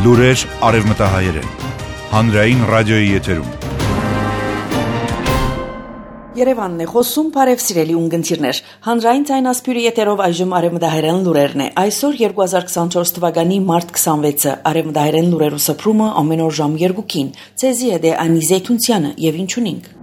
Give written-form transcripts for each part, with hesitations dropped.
Լուրեր արևմտահայերեն, հանրային ռադիոյի եթերում։ Երևանն է խոսում, բարև սիրելի ունգընտիրներ։ Հանրային ցայնասպյուրի եթերով այժմ արևմտահայերեն լուրերն է։ Այսօր 2024 թվականի մարտ 26-ը արևմտահայերեն լուրերու սփռումը ամեն օր ժամ 2-ին։ Ցեզի է Անի Զեյթունցյանը եւ ինչունինք։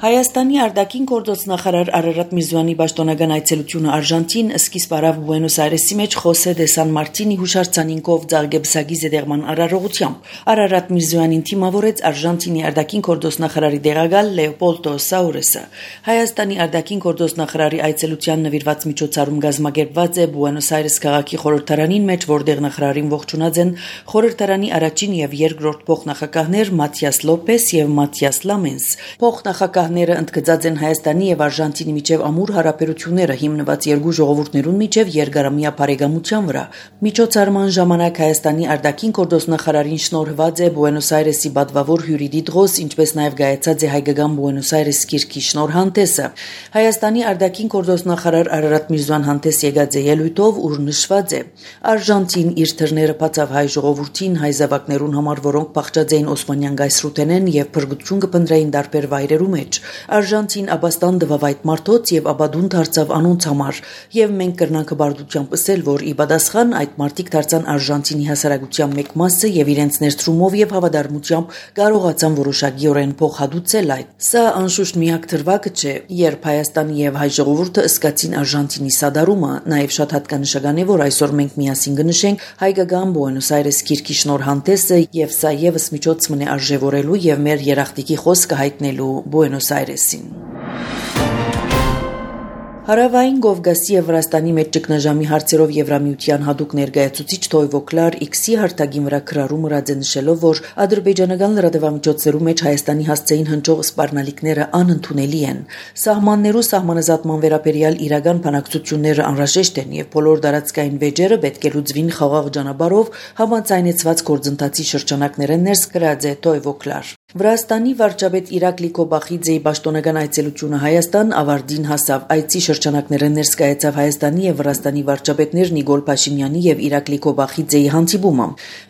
Հայաստանի արտաքին գործոց նախարար Արարատ Միրզոյանի պաշտոնական այցելությունը Արժանտին սկիզբ առավ Բուենոս Այրեսի մեջ Խոսե դե Սան Մարտինի հուշարձանինքով Ձարգեբսագի զետեղման արարողությամբ։ Արարատ Միրզոյանին թիմավորեց Արժանտինի արտաքին գործոց նախարարի դեղակալ Լեոպոլդո Սաուրեսը։ Հայաստանի արտաքին գործոց նախարարի այցելության նվիրված միջոցառում կազմակերպված է Բուենոս Այրես քաղաքի խորհրդարանին մեջ, որտեղ նախարարին ողջունած են խորհրդարանի առաջին եւ երկրորդ փոխնախագահներ Մաթիաս Լոպես եւ Մաթիաս Լամենս։ Փոխնախագահները ընդգծած են Հայաստանի եւ Արժանտինի միջև ամուր հարաբերությունները հիմնված երկու ժողովուրդներուն միջև երկարամյա բարեկամության վրա։ Միջոցառման ժամանակ Հայաստանի արտաքին գործոց նախարարին շնորհված է Բուենոս Այրեսի պատվավոր հյուրի դիտողոս, ինչպես նաեւ գայացած է հայկական Բուենոս Այրես գիրքի շնորհանդեսը։ Հայաստանի արտաքին գործոց նախարար Արարատ Միրզոյան հանդես եկած է ելույթով, ուր նշված է. Արժանտին իր թռները բացավ հայ ժողովրդին, հայ զավակներուն համար, որոնք փախչած էին Օսմանյան գայսրութենեն եւ փրկություն կփնտրեին դարբեր վայրերու մեջ։ Արժանտին աբաստան դվավ այդ մարդոց եւ աբադուն դարձավ անոնց համար եւ մենք կրնանք բարդությամբ ասել, որ ի պատասխան այդ մարդիկ դարձան Արժանտինի հասարակության մեկ մասը եւ իրենց ներդրումով եւ հավատարմությամբ կարողացան որոշակիորեն փոխհատուցել այդ։ Սա անշուշտ միակ դրվագը չէ, երբ Հայաստանի եւ հայ ժողովուրդը ըսկացին Արժանտինի սադարումը, նաեւ շատ հատկանշական է, որ այսօր մենք միասին կնշենք հայկական Բուենոս Այրես գիրքի շնորհանդեսը եւ սա եւս միջոց մնե արժեվորելու եւ մեր երախտիկի խոսքը հայտնելու Բուենոս Այրեսին։ Հարավային Կովկասի եւ Վրաստանի մեջ ճգնաժամի հարցերով Եվրամիության հատուկ ներկայացուցիչ Թոյվո Կլար X-ի հարտագին վրա քրարում նշելով, որ ադրբեջանական լրատվամիջոցներու մեջ Հայաստանի հասցեին հնչող սպառնալիքները անընդունելի են։ Սահմաններու սահմանազատման վերաբերյալ իրական բանակցությունները անհրաժեշտ են եւ բոլոր դարածքային վեճերը պետք է լուծվին խաղաղ ճանապարհով համաձայնեցված գործընթացի շրջանակներեն ներս գրած է Թոյվո Կլար։ Վրաստանի վարչապետ Իրակլի Կոբախիձեի պաշտոնական այցելությունը Հայաստան ավարտին հասավ։ Այցի շրջանակները ներկայացավ Հայաստանի եւ Վրաստանի վարչապետներ Նիկոլ Փաշինյանի եւ Իրակլի Կոբախիձեի հանդիպումը։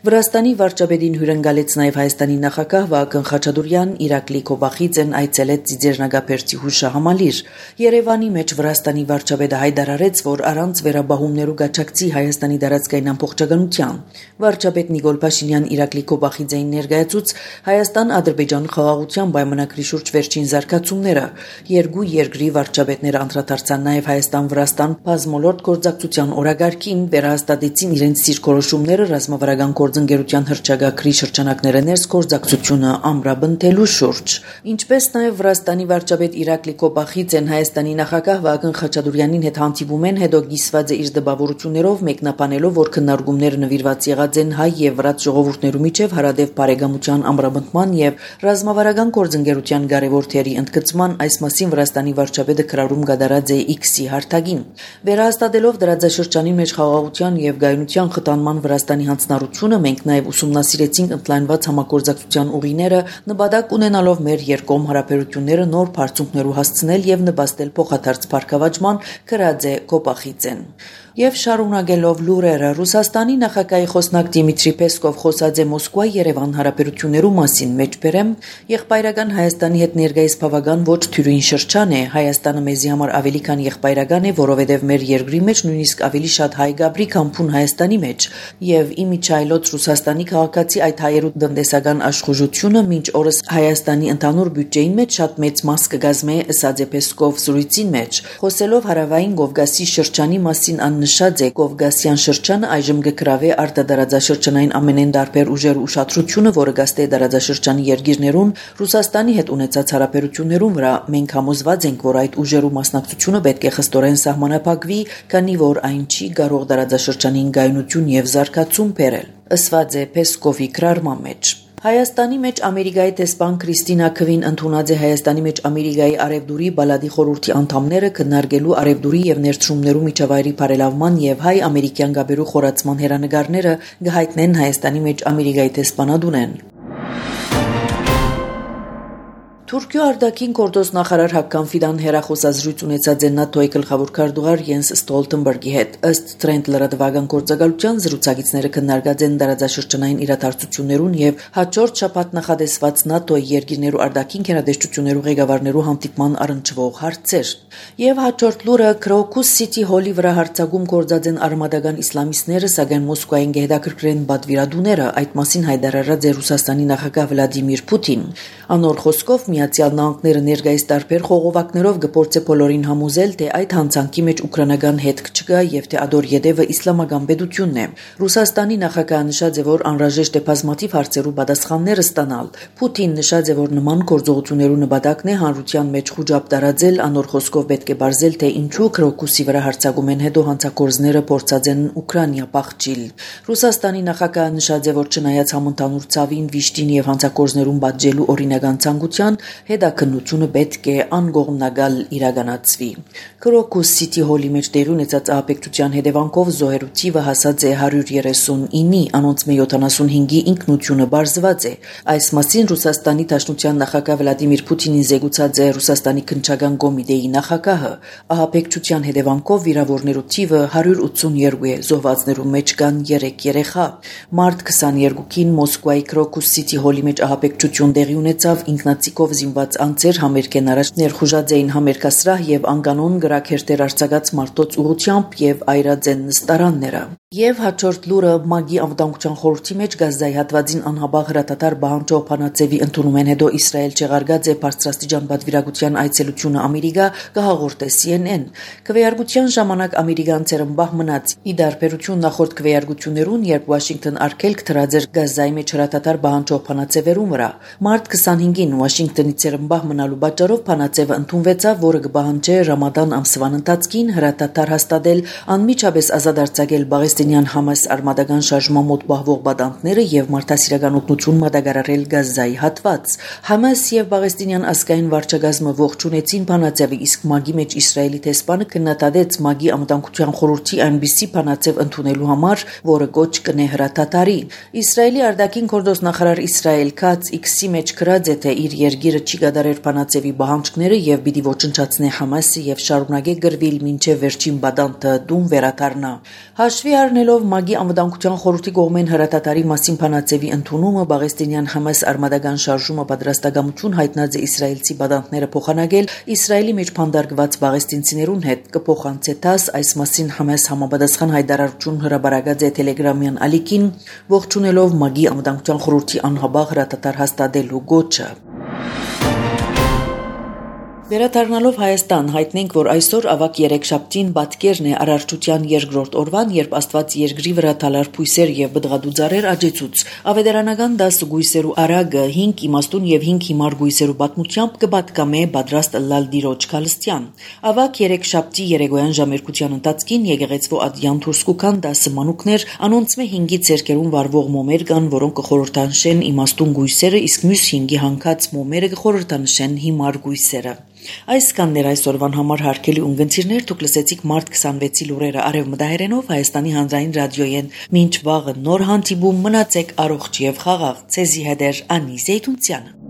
Վրաստանի վարչապետին հյուրընկալեց նաեւ Հայաստանի նախագահ Վահագն Խաչատուրյան, Իրակլի Կոբախիձեն այցելեց Ծիծեռնագապերցի հուշահամալիր։ Երևանի մեջ Վրաստանի վարչապետը հայտարարեց, որ առանց վերաբահումներու գաչակցի Հայաստանի դարածքային ամբողջականության։ Վարչապետ Նիկոլ Փաշինյան Իրակլի Կոբախիձեին ներկայացուց Հայաստան-Ադրբեջան խաղաղության պայմանագրի շուրջ վերջին զարգացումները։ Երկու երկրի վարչապետները անդրադարձան նաև Հայաստան-Վրաստան բազմոլորտ գործակցության օրագարկին, վերահաստատեցին իրենց դիրքորոշումները ռազմավարական գործընկերության հռչակագրի շրջանակները ներս գործակցությունը ամրապնդելու շուրջ։ Ինչպես նաև Վրաստանի վարչապետ Իրակլի Կոբախիձեն Հայաստանի նախագահ Վահագն Խաչատուրյանին հետ հանդիպում են, հետո կիսված է իր դպավորություններով, մեկնաբանելով, որ քննարկումները նվիրված եղած են հայ եւ վրաց ժողովուրդներու միջև հարադեպ բարեկամության ամրապնդման եւ ռազմավարական գործընկերության կարևոր թերի ընդգծման այս մասին Վրաստանի վարչապետը քրարում կատարած է X-ի հարթակին։ Վերահաստատելով դրաձաշրջանի մեջ խաղաղության եւ գայունության խթանման Վրաստանի հանձնառությունը, մենք նաեւ ուսումնասիրեցինք ընդլայնված համագործակցության ուղիները, նպատակ ունենալով մեր երկկողմ հարաբերությունները նոր բարձունքներու հասցնել եւ նպաստել փոխադարձ բարգավաճման, գրած է Կոբախիձեն։ Եվ շարունակելով լուրերը, Ռուսաստանի նախագահի խոսնակ Դիմիտրի Պեսկով խոսած է Մոսկվա-Երևան հարաբերություններու մասին, մեջբերեմ եղբայրական Հայաստանի հետ ներկայիս բավական ոչ թյուրին շրջան է։ Հայաստանը մեզի համար ավելի քան եղբայրական է, որովհետև մեր երկրի մեջ նույնիսկ ավելի շատ հայ գաբրի քան փուն Հայաստանի մեջ, եւ իմիջայլոց Ռուսաստանի քաղաքացի այդ հայերու տնտեսական աշխուժությունը մինչ օրս Հայաստանի ընդհանուր բյուջեին մեջ շատ մեծ մաս կգազմե, ըսած է Պեսկով զրույցին մեջ։ Խոսելով հարավային Կովկասի շրջանի մասին նշած է Կովկասյան շրջանը այժմ կգրավե արտադարաձաշրջանային ամենեն դարբեր ուժեր ուշադրությունը, որը գաստե դարաձաշրջանի երկիրներուն Ռուսաստանի հետ ունեցած հարաբերություններուն վրա։ Մենք համոզված ենք, որ այդ ուժերու մասնակցությունը պետք է խստորեն սահմանափակվի, քանի որ այն չի կարող դարաձաշրջանին գայունություն եւ զարգացում բերել, ըսված է Պեսկովի գրառման մեջ։ Հայաստանի մեջ Ամերիկայի տեսփան Քրիստինա Քվին ընդունած է Հայաստանի մեջ Ամերիկայի արևդուրի բալադի խորհրդի անդամները քննարկելու արևդուրի եւ ներդրումներու միջավայրի բարելավման եւ հայ-ամերիկյան գաբերու խորացման հերանեկարները կհայտնեն Հայաստանի մեջ Ամերիկայի տեսփանադունեն։ Թուրքիո արտաքին գործոս նախարար Հակկան Ֆիդան հերախոսազրույց ունեցած է ՆԱՏՕ-ի գլխավոր քարտուղար Յենս Ստոլտենբերգի հետ։ Ըստ Trend լրատվական գործակալության զրուցակիցները քննարկած են տարածաշրջանային իրադարձություններուն եւ հաջորդ շաբաթ նախադեсված ՆԱՏՕ-ի երկիրներու արտաքին գերատեսչություններու ղեկավարներու հանդիպման առնչվող հարցեր։ Եվ հաջորդ լուրը Քրոկուս Սիթի հոլի վրա հարձակում գործած են արմադական իսլամիստները, սակայն Մոսկվային կհետաքրքրեն բադվիրադուները, այդ մասին հայտարարած է Ռուսաստանի նախագահ Վլադիմիր Պուտին։ Անոր խոսքով Միացյալ Նահանգները ներկայիս տարբեր խողովակներով գործե բոլորին համոզել, թե այդ հանցանքի մեջ ուկրաինական հետք չկա եւ թե ադոր յետևը իսլամական պետությունն է։ Ռուսաստանի նախագահը նշած է, որ անհրաժեշտ է բազմաթիվ հարցերու պատասխաններ ստանալ։ Պուտին նշած է, որ նման գործողություններու նպատակն է հանրության մեջ խոճապ տարածել, անոր խոսքով պետք է բարձել, թե ինչու Քրոկուսի վրա հարձակումեն հետո հանցագործները փորձած են Ուկրաինա փախչիլ։ Ռուսաստանի նախագահը նշած է, որ չնայած համընդհանուր ցավին, վիշտին եւ հանցագործներուն պատժելու օրինական ցանկության, հետաքննությունը պետք է անգողնագալ իրականացվի։ Քրոկուս Սիթի հոլի մեջ տեղի ունեցած ահաբեկչության հետևանքով զոհերու թիվը հասած է 139-ի, անոնց 75-ի ինքնությունը բարձված է։ Այս մասին Ռուսաստանի Դաշնության նախագահ Վլադիմիր Պուտինին զեկուցած է Ռուսաստանի քննչական կոմիտեի նախագահը։ Ահաբեկչության հետևանքով վիրավորներու թիվը 182 է, զոհվածներու մեջ կան 3 երեխա։ Մարտ 22-ին Մոսկվայի Քրոկուս Սիթի հոլի մեջ ահաբեկչություն տեղի ունեցավ, ինքնացիկով զինված անձեր համերգեն առաջ ներխուժած էին համերգասրահ եւ անկանոն գրաքերտեր արձակած մարդոց ուղղությամբ եւ այրած են նստարանները։ Եվ հաջորդ լուրը ՄԱԳ-ի անվտանգության խորհրդի մեջ Գազայի հատվածին անհաբաղ հրատատար Բահանջո Փանացևի ընդունումեն հետո Իսրայել չեղարկած է բարձրաստիճան պատվիրակության այցելությունը Ամերիկա, կհաղորդե CNN։ Քվեարկության ժամանակ ամերիկանցերը ըմբահ մնաց։ Ի դարբերություն նախորդ քվեարկություններուն, երբ Վաշինգտոն արգելք դրած էր Գազայի մեջ հրատատար Բահանջո Փանացևերու վրա, մարտ 25-ին Վաշինգտոնից ըմբահ մնալու պատճառով Փանացևը ընդունվեցավ, որը կբահանջի Ռամադան ամսվան ընթացքին հրատատար հաստատել, անմիջապես ազատ արձակել Պաղեստինյան Համաս արմադական շարժման մոտ պահվող բադանտները եւ մարդասիրական օգնություն մատակարարել Գազայի հատված։ Համաս եւ Պաղեստինյան ազգային վարչակազմը ողջունեցին Փանացևը, իսկ ՄԱԳ-ի մեջ Իսրայելի տեսփանը քննադատեց ՄԱԳ-ի անվտանգության խորհրդի այնպիսի Փանացև ընդունելու համար, որը կոչ կնե հրատատարի։ Իսրայելի արտաքին գործոս նախարար Իսրայել Քաց X-ի մեջ գրած է, թե իր երկիրը չի կատարեր Փանացևի պահանջները եւ պիտի ոչնչացնե Համասը եւ շարունակե գրվել մինչեւ վերջին բադանտը դուն վերաթարնա։ Հաշվի առնելով ՄԱԳ-ի անվտանգության խորհրդի կողմեն հրատատարի մասին Փանացևի ընդունումը, Պաղեստինյան Համաս արմադական շարժումը պատրաստակամություն հայտնած է իսրայելցի բադանտները փոխանակել Իսրայելի մեջ փանդարգված պաղեստինցիներուն հետ, կփոխանցե ՏԱՍ այս մասին Համաս համապատասխան հայտարարություն հրապարակած է Telegram-յան ալիքին, ողջունելով ՄԱԳ-ի անվտանգության խորհրդի անհաբաղ հրատատար հաստատելու գոչը։ Վերադառնալով Հայաստան, հայտնենք, որ այսօր ավակ երեքշաբթին պատկերն է Արարչության երկրորդ օրվան, երբ Աստված երկրի վրա թալար փույսեր եւ բդղադու ծառեր աճեցուց։ Ավետարանական 10 գույսերու արագը 5 իմաստուն եւ 5 հիմար գույսերու պատմությամբ կպատկամե պատրաստ ըլլալ դիրոջ քալստյան։ Ավակ երեքշաբթի երեկոյան ժամերկության ընթացքին եկեղեցվո ադյան դուրս կուքան 10 մանուկներ, անոնց մե 5-ի ցերկերուն վարվող մոմեր կան, որոնք կխորհրդանշեն իմաստուն գույսերը, իսկ մյուս 5-ի հանգած մոմերը կխորհրդանշեն հիմար գույսերը։ Այս կաններ այսօրվան համար հարգելի ունգընտիրներ, դուք լսեցիք մարտ 26-ի լուրերը արևմտահայերենով Հայաստանի հանրային ռադիոյեն։ Մինչ վաղը նոր հանդիպում, մնացեք առողջ եւ խաղաղ։ Ցեզի հետ Անի Զեյթունցյանը։